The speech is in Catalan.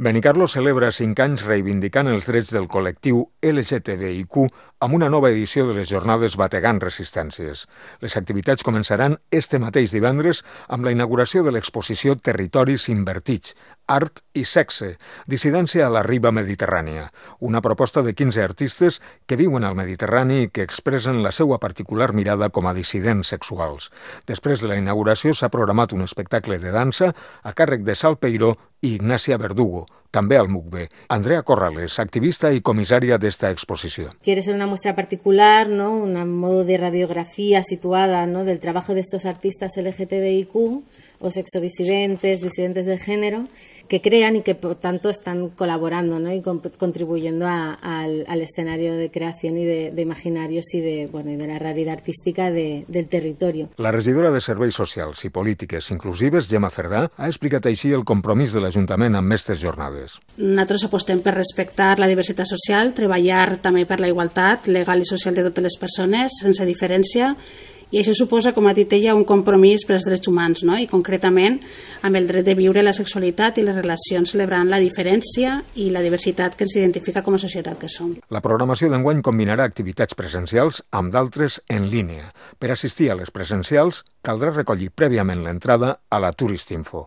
Benicarló celebra 5 anys reivindicant els drets del col·lectiu LGTBIQ amb una nova edició de les jornades Bategant Resistències. Les activitats començaran este mateix divendres amb la inauguració de l'exposició Territoris Invertits, Art i Sexe, dissidència a la riba mediterrània, una proposta de 15 artistes que viuen al Mediterrani i que expressen la seva particular mirada com a dissidents sexuals. Després de la inauguració s'ha programat un espectacle de dansa a càrrec de Sal Peiró i Ignacia Verdugo, també al MUCBE. Andrea Corrales, activista y comisaria de esta exposición. Quiere ser una muestra particular, ¿no? Un modo de radiografía situada, ¿no?, del trabajo de estos artistas LGTBIQ o sexodisidentes, disidentes de género, que crean y que por tanto están colaborando, ¿no?, y contribuyendo al escenario de creación y de imaginarios y de la realidad artística del territorio. La regidora de Serveis Socials i Polítiques Inclusives, Gemma Cerdà, ha explicat així el compromís de l'Ajuntament amb aquestes jornades. Nosaltres apostem per respectar la diversitat social, treballar també per la igualtat legal i social de totes les persones, sense diferència, i això suposa, com ha dit ella, un compromís per als drets humans, no? I concretament amb el dret de viure la sexualitat i les relacions celebrant la diferència i la diversitat que ens identifica com a societat que som. La programació d'enguany combinarà activitats presencials amb d'altres en línia. Per assistir a les presencials caldrà recollir prèviament l'entrada a la Turistinfo.